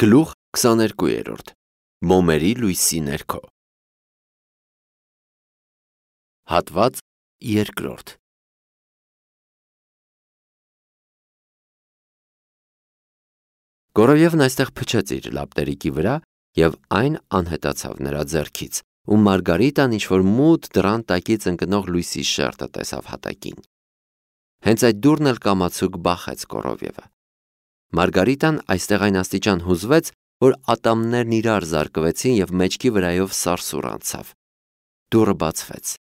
Գլուխ 22 Մոմերի լույսի ներքո Հատված 2 Գորոյևն այստեղ փչեց իր լապտերիկի վրա և այն անհետացավ նրա ձեռքից, ու Մարգարիտան ինչ-որ մութ դռան տակից ընկնող լույսի շերտը տեսավ հատակին։ Հենց այդ դուռն էլ կամացուկ բախեց Գորոյևը։ Մարգարիտան այստեղ այն աստիճան հուզվեց, որ ատամներն իրար զարկվեցին և մեջքի վրայով սարսուռ անցավ։ Դուռը բացվեց։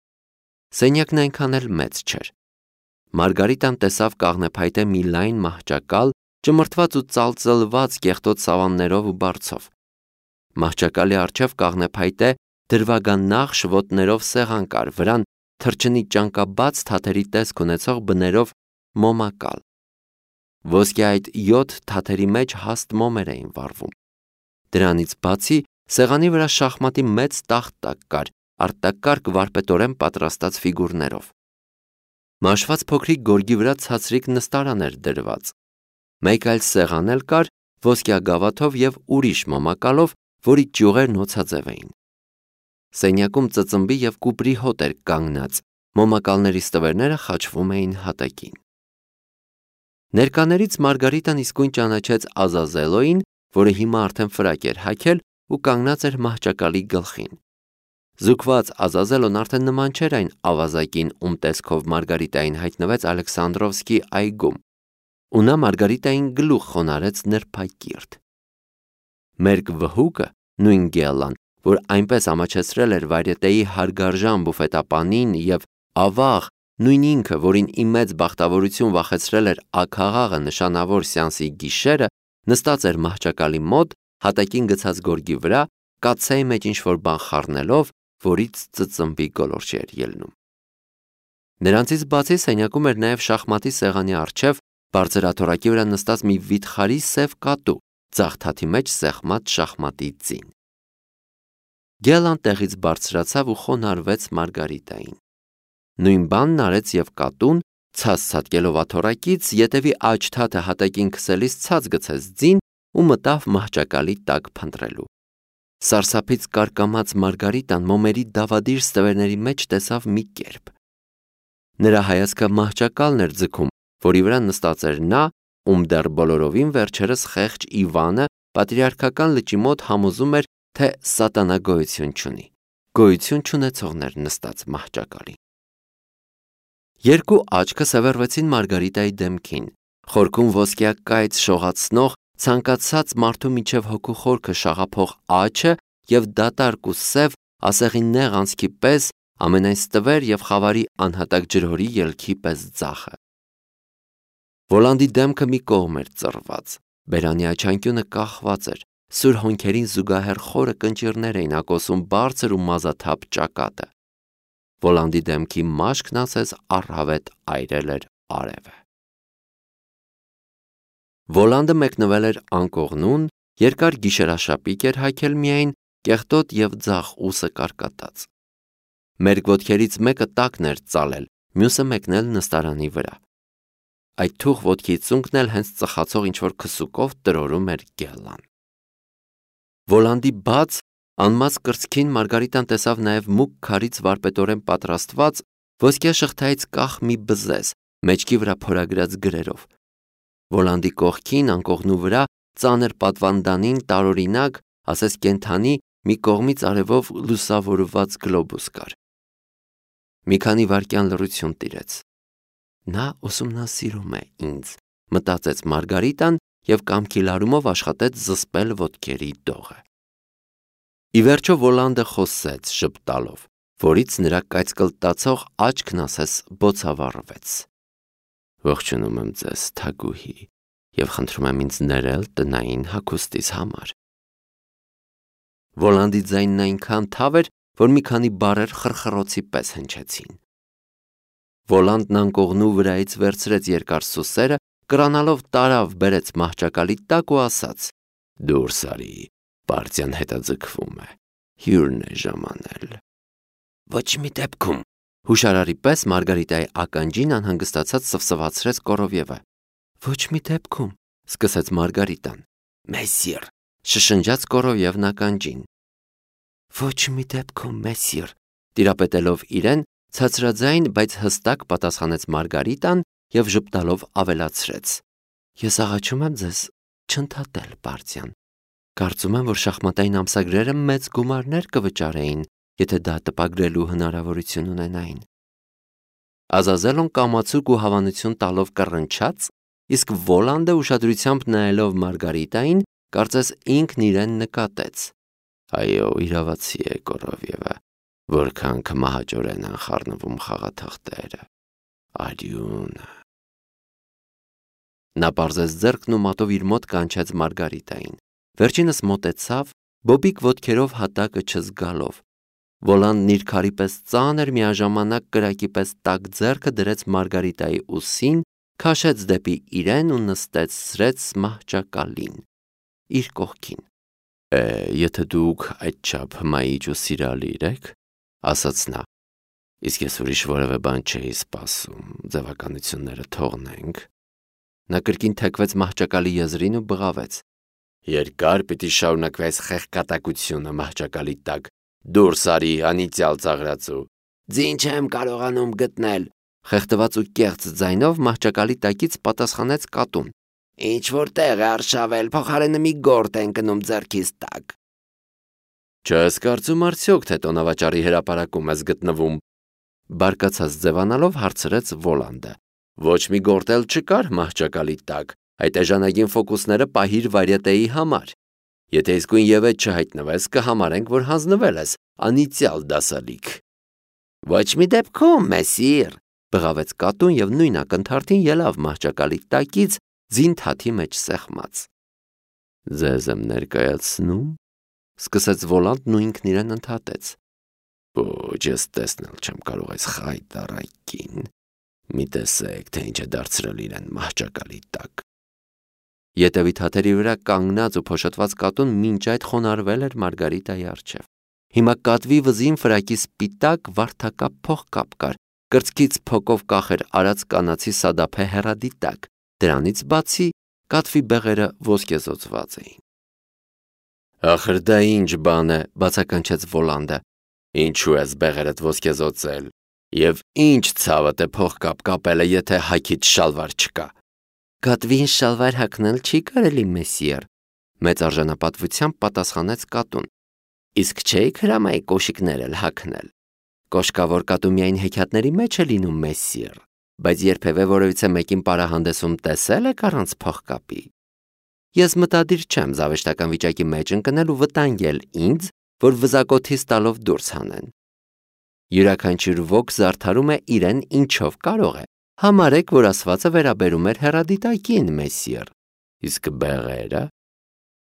Սենյակն այնքան էլ մեծ չէր։ Մարգարիտան տեսավ կաղնեփայտե մի լայն մահճակալ, ճմրթված ու ծալծլված կեղտոտ սավաններով ու բարձով։ Մահճակալի առջև կաղնեփայտե դրվագանախշ ոտներով սեղան կար, վրան թռչնի ճանկաբաց թաթերի տեսք ունեցող բներով մոմակալ։ Ոսկե այդ 7 թաթերի մեջ հաստ մոմեր էին վառվում։ Դրանից բացի սեղանի վրա շախմատի մեծ տախտակ կար, արտակարգ վարպետորեն պատրաստած ֆիգուրներով։ Մաշված փոքրիկ գորգի վրա ցածրիկ նստարան էր դրված։ Մեկ այլ սեղան էլ կար ոսկյագավաթով և ուրիշ մոմակալով, որի ճյուղերն օձաձև էին։ Սենյակում ծծմբի և կուպրի հոտ էր կանգնած, մոմակալների ստվերները խաչվում էին հատակին։ Ներկաներից Մարգարիտան իսկույն ճանաչեց Ազազելոյին, որը հիմա արդեն ֆրակ էր հագել ու կանգնած էր մահճակալի գլխին։ Զուգված Ազազելոն արդեն նման չէր այն ավազակին, ում տեսքով Մարգարիտային հայտնվեց Ալեքսանդրովսկի այգում, ու նա Մարգարիտային գլուխ խոնարհեց նրբակիրթ։ Մերկ վհուկը, նույն Գելլան, որ այնպես ամաչեցրել էր վայրետեի հարգարժան բուֆետապանին, և ավաղ, նույն ինքը, որին ի մեծ բախտավորություն վախեցրել էր աքաղաղը նշանավոր սեանսի գիշերը, նստած էր մահճակալի մոտ, հատակին գցած գորգի վրա, կաթսայի մեջ ինչ-որ բան խառնելով, որից ծծմբի գոլորշ էր ելնում։ Նրանցից բացի սենյակում էր նաև շախմատի սեղանի առջև բարձրաթոռակի վրա նստած մի վիթխարի սև կատու, ձախ թաթի մեջ սեղմած շախմատի ձին։ Գելլան տեղից բարձրացավ ու խոնարհվեց Մարգարիտային։ Նույն բանն արեց և կատուն, ցած ցատկելով աթոռակից, ետևի աջ թաթը հատակին քսելիս ցած գցեց ձին ու մտավ մահճակալի տակ փնտրելու։ Սարսափից կարկամած Մարգարիտան մոմերի դավադիր ստվերների մեջ տեսավ մի կերպ։ Նրա հայացքը մահճակալն էր ձգում, որի վրա նստած էր նա, ում դեռ բոլորովին վերջերս խեղճ Իվանը պատրիարքական լճի մոտ համոզում էր, թե սատանա գոյություն չունի։ Գոյություն չունեցողն էր նստած մահճակալին։ Երկու աչքը սևեռվեցին Մարգարիտայի դեմքին, խորքում ոսկյակայծ շողացնող, ցանկացած մարդու միջև հոգու խորքը շաղափող աչը և դատարկ ու սև, ասեղի նեղ անցքի պես, ամենայն ստվեր և խավարի անհատակ ջրհորի ելքի պես ձախը։ Վոլանդի դեմքը մի կողմ էր ծռված, բերանի աչանկյունը կախված էր, սուր հոնքերին զուգահեռ խորը կնճիռներ էին ակոսում բարձր ու մազաթափ ճակատը։ Վոլանդի դեմքի մաշկն ասես առհավետ այրել էր արևը։ Վոլանդը մեկնվել էր անկողնուն, երկար գիշերաշապիկ էր հագել միայն, կեղտոտ և ձախ ուսը կարկատած։ Մերկ ոտքերից մեկը տակն էր ծալել, մյուսը մեկնել նստարանի վրա։ Այդ թուխ ոտքի ծունկն էլ հենց ծխացող ինչ-որ քսուկով տրորում էր Գելլան։ Վոլանդի բաց, անմաց կրծքին Մարգարիտան տեսավ նաև մուգ քարից վարպետորեն պատրաստված, ոսկյա շղթայից կախ մի բզեզ, մեջքի վրա փորագրած գրերով։ Վոլանդի կողքին, անկողնու վրա, ծանր պատվանդանին տարօրինակ, ասես կենդանի, մի կողմից արևով լուսավորված գլոբուս կար։ Մի քանի վայրկյան լռություն տիրեց։ Նա ուսումնասիրում է ինձ, մտածեց Մարգարիտան և կամքի լարումով աշխատեց զսպել ոտքերի դողը։ Ի վերջո Վոլանդը խոսեց ժպտալով, որից նրա կայծկլտացող աչքն ասես բոցավառվեց։ Ողջունում եմ ձեզ, թագուհի, և խնդրում եմ ինձ ներել տնային հագուստիս համար։ Վոլանդի ձայնն այնքան թավ էր, որ մի քանի բառեր խռխռոցի պես հնչեցին։ Վոլանդն անկողնու վրայից վերցրեց երկար սուսերը, կրանալով տարավ բերեց մահճակալի տակ ու ասաց. «Դուրս արի, պարտիան հետաձգվում է, հյուրն է ժամանել»։ Ոչ մի դեպքում, հուշարարի պես Մարգարիտայի ականջին անհանգստացած սվսվացրեց Կորովյևը։ Ոչ մի դեպքում, սկսեց Մարգարիտան։ Մեսիր, շշնջաց Կորովևն ականջին։ Ոչ մի դեպքում, մեսիր, տիրապետելով իրեն, ցածրաձայն, բայց հստակ պատասխանեց Մարգարիտան եւ ժպտալով ավելացրեց. Ես աղաչում եմ ձեզ չընդհատել, Բարձյան։ Կարծում եմ, որ շախմատային ամսագրերը մեծ գումարներ կվճարեին, եթե դա տպագրելու հնարավորություն ունենային։ Ազազելոն կամացուկ ու հավանություն տալով կռնչաց, իսկ Վոլանդը ուշադրությամբ նայելով Մարգարիտային, կարծես ինքն իրեն նկատեց. Այո, իրավացի է Կորովևը, որքան կմահաճորեն են խառնվում խաղաթղթերը, արյունը։ Նա պարզեց ձեռքն ու մատով իր մոտ կանչեց Մարգարիտային։ Վերջինս մոտեցավ, բոբիկ ոտքերով հատակը չզգալով։ Վոլանդն իր քարի պես ծանր միաժամանակ կրակի պես տաք ձեռքը դրեց Մարգարիտայի ուսին, քաշեց դեպի իրեն ու նստեցրեց մահճակալին իր կողքին։ Եթե դուք այդչափ հմայիչ ու սիրալիր եք, ասաց նա, իսկ ես ուրիշ որևէ բան չէի սպասում, ձևականությունները թողնենք։ Նա կրկին թեքվեց մահճակալի եզրին ու բղավեց. Երկար պիտի շարունակվի այս խեղկատակությունը մահճակալի տակ, դուրս արի անիծյալ ծաղրածու։ Ձին չեմ կարողանում գտնել, խեղդված ու կեղծ ձայնով մահճակալի տակից պատասխանեց կատուն։ Ինչ որ տեղ է արշավել, փոխարենը մի գորտ են կնում ձեռքիս տակ։ Չես կարծում արդյոք, թե տոնավաճառի հրապարակում ես գտնվում, բարկացած ձևանալով հարցրեց Վոլանդը։ Ոչ մի գորտ էլ չկար մահճակալի տակ, այդ էժանագին ֆոկուսները պահիր վարյատեի համար։ Եթե իսկույն ևեթ չհայտնվես, կհամարենք, որ հանձնվել ես անիծյալ դասալիք։ Ոչ մի դեպքում, մեսիր, բղավեց կատուն եւ նույն ակնթարթին ելավ մահճակալի տակից ձին թաթի մեջ սեղմած։ Ձեզ եմ ներկայացնում, սկսեց Վոլանդն ու ինքն իրեն ընդհատեց։ Ոչ, ես տեսնել չեմ կարող այս խայտառակին։ Մի տեսեք, թե ինչ է դարձրել իրեն մահճակալի տակ։ Ետևի թաթերի վրա կանգնած ու փոշոտված կատուն մինչ այդ խոնարհվել էր Մարգարիտայի առջև։ Հիմա կատվի վզին ֆրակի սպիտակ վարդակապ փողկապ կար, կրծքից փոկով կախեր արած կանացի սադափե հեռադիտակ, դրանից բացի կատվի բեղերը ոսկեզօծված էին։ Ախր դա ինչ բան է, բացականչեց Վոլանդը։ Ինչու ես բեղերդ ոսկեզօծել, եւ ինչ ցավդ է փողկապ կապելը, եթե հագիդ շալվար չկա։ Կատվին շալվար հագնել չի կարելի, մեսիեր, մեծ արժանապատվությամբ պատասխանեց կատուն։ Իսկ չէիք հրամայի կոշիկներ էլ հագնել։ Կոշկավոր կատու միայն հեքիաթների մեջ է լինում, մեսիեր, բայց երբևէ որևիցե մեկին պարահանդեսում տեսել եք առանց փողկապի։ Ես մտադիր չեմ զավեշտական վիճակի մեջ ընկնել ու վտանգել ինձ, որ վզակոթից տալով դուրս հանեն։ Յուրաքանչյուր ոք զարդարում է իրեն ինչով կարող է։ Համարեք, որ ասվածը վերաբերում էր հեռադիտակին, մեսիեր։ Իսկ բեղերը։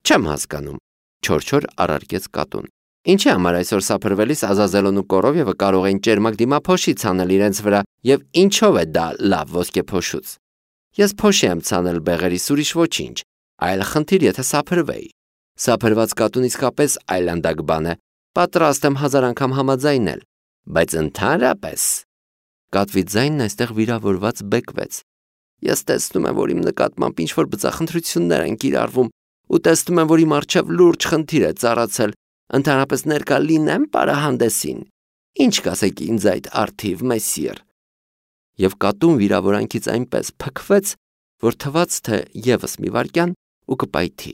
Չեմ հասկանում, չոր առարկեց կատուն։ Ինչի համար այսօր սափրվելիս Ազազելոն ու Կորովևը կարող են ճերմակ դիմափոշի ցանել իրենց վրա եւ ինչով է դա լավ ոսկեփոշուց։ Ես փոշի եմ ցանել բեղերիս ուրիշ ոչինչ, այլ խնդիր եթե սափրվեի։ Սափրված կատուն իսկապես այլանդակ բան է, պատրաստ եմ 1000 անգամ համաձայնել, բայց ընդհանրապես կատվի ձայնն այստեղ վիրավորված բեկվեց։ Ես տեսնում եմ, որ իմ նկատմամբ ինչ-որ բծախնդրություններ են կիրառվում ու տեսնում եմ, որ իմ առջև լուրջ խնդիր է ծառացել, ընդհանրապես ներկա լինեմ պարահանդեսին։ Ինչ կասեք ինձ այդ արդիվ, մեսիեր։ Եվ կատուն վիրավորանքից այնպես փքվեց, որ թվաց, թե եւս մի վայրկյան ու կպայթի։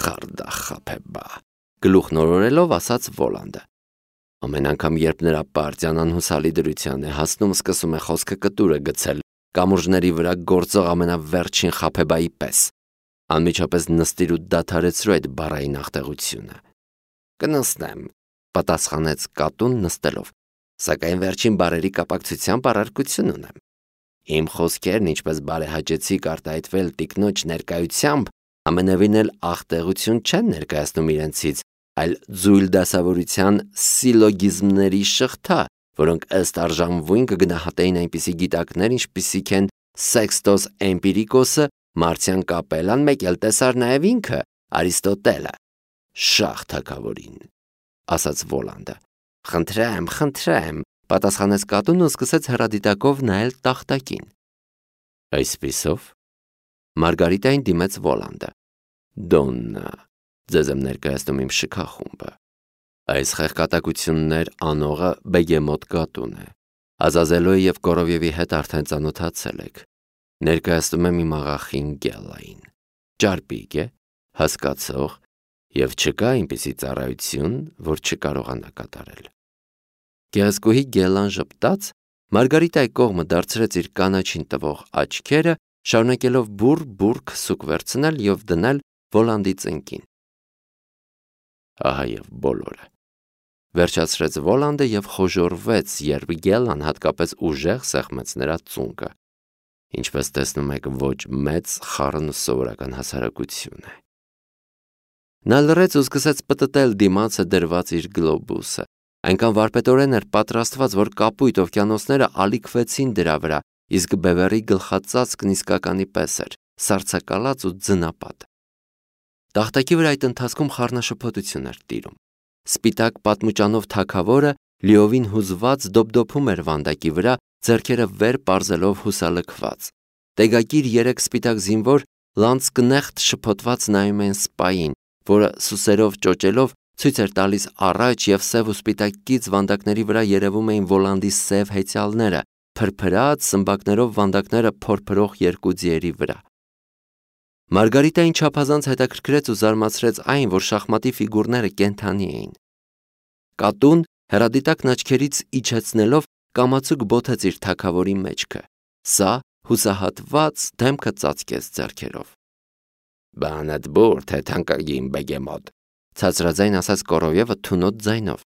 Խարդախապեբա, գլուխն օրորելով ասաց Վոլանդը։ Ամեն անգամ, երբ նրա Բարձյան անհուսալի դրության է հասնում, սկսում է խոսքը կտուրը գցել, կամուրջների վրա գործող ամենավերջին խապեբայի պես։ Անմիջապես նստիր ու դադարեցրու այդ բառային աղտեղությունը։ Կնստեմ, պատասխանեց կատուն նստելով, սակայն վերջին բառերի կապակցությամբ առարկություն ունեմ։ Իմ խոսքերն ինչպես բարեհաճեցիկ արտահայտվել տիկնոջ ներկայությամբ, ամենևին էլ աղտեղություն չեն ներկայացնում իրենցից, այլ ձույլ դասավորության սիլոգիզմների շղթա, որոնք ըստ արժանվույն կգնահատեին այնպիսի գիտակներ, ինչպիսիք են Սեքստոս Էմպիրիկոսը, Մարցիան Կապելան, մեկ էլ տեսար նաև ինքը, Արիստոտելը։ Շահ թագավորին, ասաց Վոլանդը։ Խնդրեմ, պատասխանեց կատուն ու սկսեց հեռադիտակով նայել տախտակին։ Այսպիսով, Մարգարիտային դիմեց Վոլանդը։ Դոննա, ձեզ եմ ներկայացնում իմ շքախումբը։ Այս խեղկատակություններ անողը Բեգեմոտ կատուն է։ Ազազելոյի և Կորովևի հետ արդեն ծանոթացել եք։ Ներկայացնում եմ իմ աղախին Գելային։ Ճարպիկ է, հասկացող և չկա այնպիսի ծառայություն, որ չկարողանա կատարել։ Գեղեցկուհի Գելան ժպտաց, Մարգարիտայի կողմը դարձրեց իր կանաչին տվող աչքերը, շարունակելով բուռ քսուկ վերցնել և դնել Վոլանդի ծնկին։ Ահա և բոլորը։ Վերջացրեց Վոլանդը և խոժոռվեց, երբ Գելան հատկապես ուժեղ սեղմեց նրա ծունկը։ Ինչպես տեսնում եք, ոչ մեծ, խառն ու սովորական հասարակություն է։ Նա լռեց ու սկսեց պտտել դիմացը դրված իր գլոբուսը։ Այնքան վարպետորեն էր պատրաստված, որ կապույտ օվկիանոսները ալիքվեցին դրա վրա, իսկ Բևերի գլխածածկն իսկականի պես էր, սառցակալած ու ձնապատ։ Տախտակի վրա այդ ընթացքում խառնաշփոթություն էր տիրում։ Սպիտակ պատմուճանով թագավորը լիովին հուզված դոփդոփում էր վանդակի վրա, ձեռքերը վեր պարզելով հուսալքված։ Տեգակիր երեք սպիտակ զինվոր լանցկնեղտ շփոթված նայում էին սպային, որը սուսերով ճոճելով ցույց էր տալիս առաջ, և սև ու սպիտակ կից վանդակների վրա երևում էին Վոլանդի սև հեծյալները, փրփրած սմբակներով վանդակները փորփրող երկու ձիերի վրա։ Մարգարիտային չափազանց հետաքրքրեց ու զարմացրեց այն, որ շախմատի ֆիգուրները կենդանի էին։ Կատուն հեռադիտակն աչքերից իջեցնելով կամացուկ բոթեց իր թագավորի մեջքը։ Սա հուսահատված դեմքը ծածկեց ձեռքերով։ Բանդ բուր, թե թանկագին Բեգեմոտ, ցածրաձայն ասաց Կորովևը թունոտ ձայնով։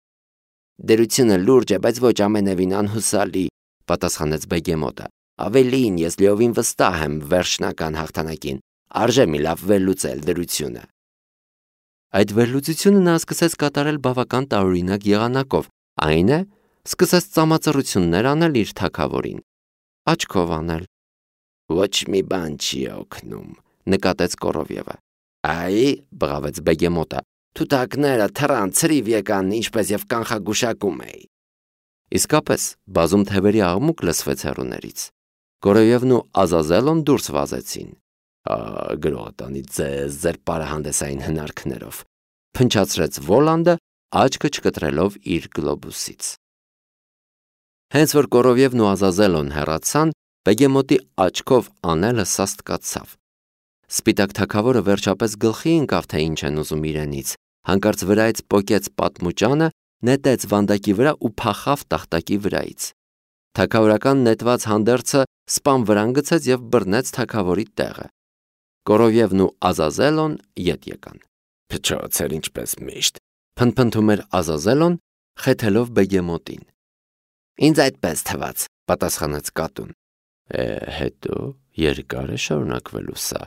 Դերությունը լուրջ է, բայց ոչ ամենևին անհուսալի, պատասխանեց Բեգեմոտը։ Ավելին, ես լիովին վստահ եմ վերջնական հաղթանակին, արժե մի լավ վերլուծել դրությունը։ Այդ վերլուծությունը նա սկսեց կատարել բավական տարօրինակ եղանակով, այն է, սկսեց ծամածռություններ անել իր թագավորին, աչքով անել։ Ոչ մի բան չի օգնում, նկատեց Կորովևը։ Այ, բղավեց Բեգեմոտը, թութակները թռան, ցրիվ եկան, ինչպես եւ կանխագուշակում էի։ Իսկապես, բազում թևերի աղմուկ լսվեց հեռուներից։ Կորովևն ու Ազազելոն դուրս վազեցին։ Գրողը տանի ձեզ ձեր պարահանդեսային հնարքներով, փնչացրեց Վոլանդը, աչքը չկտրելով իր գլոբուսից։ Հենց որ Կորովևն ու Ազազելոն հեռացան, Բեգեմոտի աչքով անելը սաստկացավ։ Սպիտակ թագավորը վերջապես գլխի ընկավ, թե ինչ են ուզում իրենից, հանկարծ վրայից պոկեց պատմուճանը, նետեց վանդակի վրա ու փախավ տախտակի վրայից։ Թագավորական նետված հանդերձը սպան վրան գցեց և բռնեց թագավորի տեղը։ Կորովևն ու Ազազելոն ետ եկան։ Փչոցեր ինչպես միշտ, փնփնթում էր Ազազելոն, խեթելով Բեգեմոտին։ Ինձ այդպես թվաց, պատասխանեց կատուն։ Հետո երկար է շարունակվելու սա,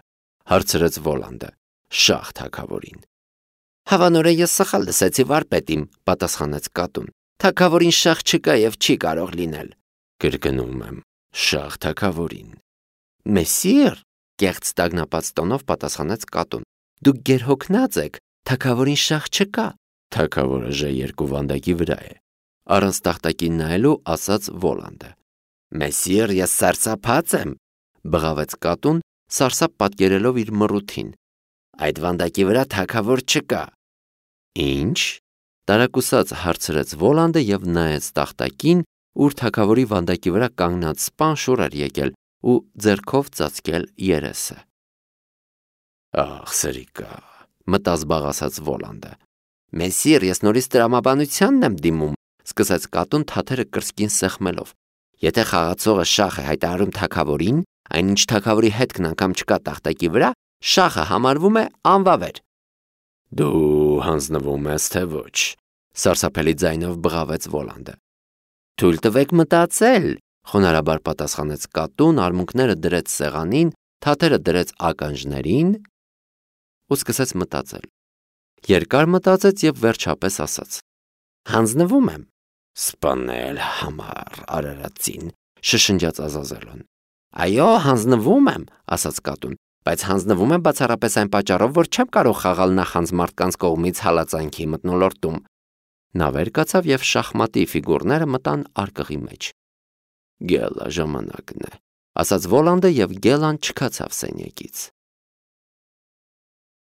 հարցրեց Վոլանդը, շահ թագավորին։ Հավանորեն ես սխալ լսեցի վարպետին, պատասխանեց կատուն։ Թագավորին շահ չկա և չի կարող լինել։ Կրկնում եմ, շահ թագավորին։ Մեսիր, կեղծ տագնապած տոնով պատասխանեց կատուն։ Դուք գերհոգնած եք, թագավորին շահ չկա։ Թագավորը Ժ2 վանդակի վրա է, առանց տախտակին նայելու ասաց Վոլանդը։ Մեսիր, ես սարսափած եմ, բղավեց կատուն, սարսափ պատկերելով իր մռութին։ Այդ վանդակի վրա թագավոր չկա։ Ինչ? Տարակուսած հարցրեց Վոլանդը և նայեց տախտակին, ուր թագավորի վանդակի վրա կանգնած սպան շուռ էր եկել ու ձեռքով ծածկել երեսը։ Ախ, սրիկա, մտազբաղ ասաց Վոլանդը։ Մեսիր, ես նորից տրամաբանությանն եմ դիմում, սկսեց կատուն թաթերը կրծքին սեղմելով։ Եթե խաղացողը շախ է հայտարարում թագավորին, այնինչ թագավորի հետքն անգամ չկա տախտակի վրա, շախը համարվում է անվավեր։ Դու հանձնվում ես, թե ոչ, սարսափելի ձայնով բղավեց Վոլանդը։ Թույլ տվեք մտածել, խոնարհաբար պատասխանեց կատուն, արմունկները դրեց սեղանին, թաթերը դրեց ականջներին ու սկսեց մտածել։ Երկար մտածեց և վերջապես ասաց. Հանձնվում եմ։ Սպանել համար արարածին, շշնջաց Ազազելոն։ Այո, հանձնվում եմ, ասաց կատուն, բայց հանձնվում եմ բացառապես այն պատճառով, որ չեմ կարող խաղալ նախանձ մարդկանց կողմից հալածանքի մթնոլորտում։ Նա վեր կացավ և շախմատի ֆիգուրները մտան արկղի մեջ։ Գելա ժամանակն է, ասաց Վոլանդը և Գելան չքացավ սենյակից։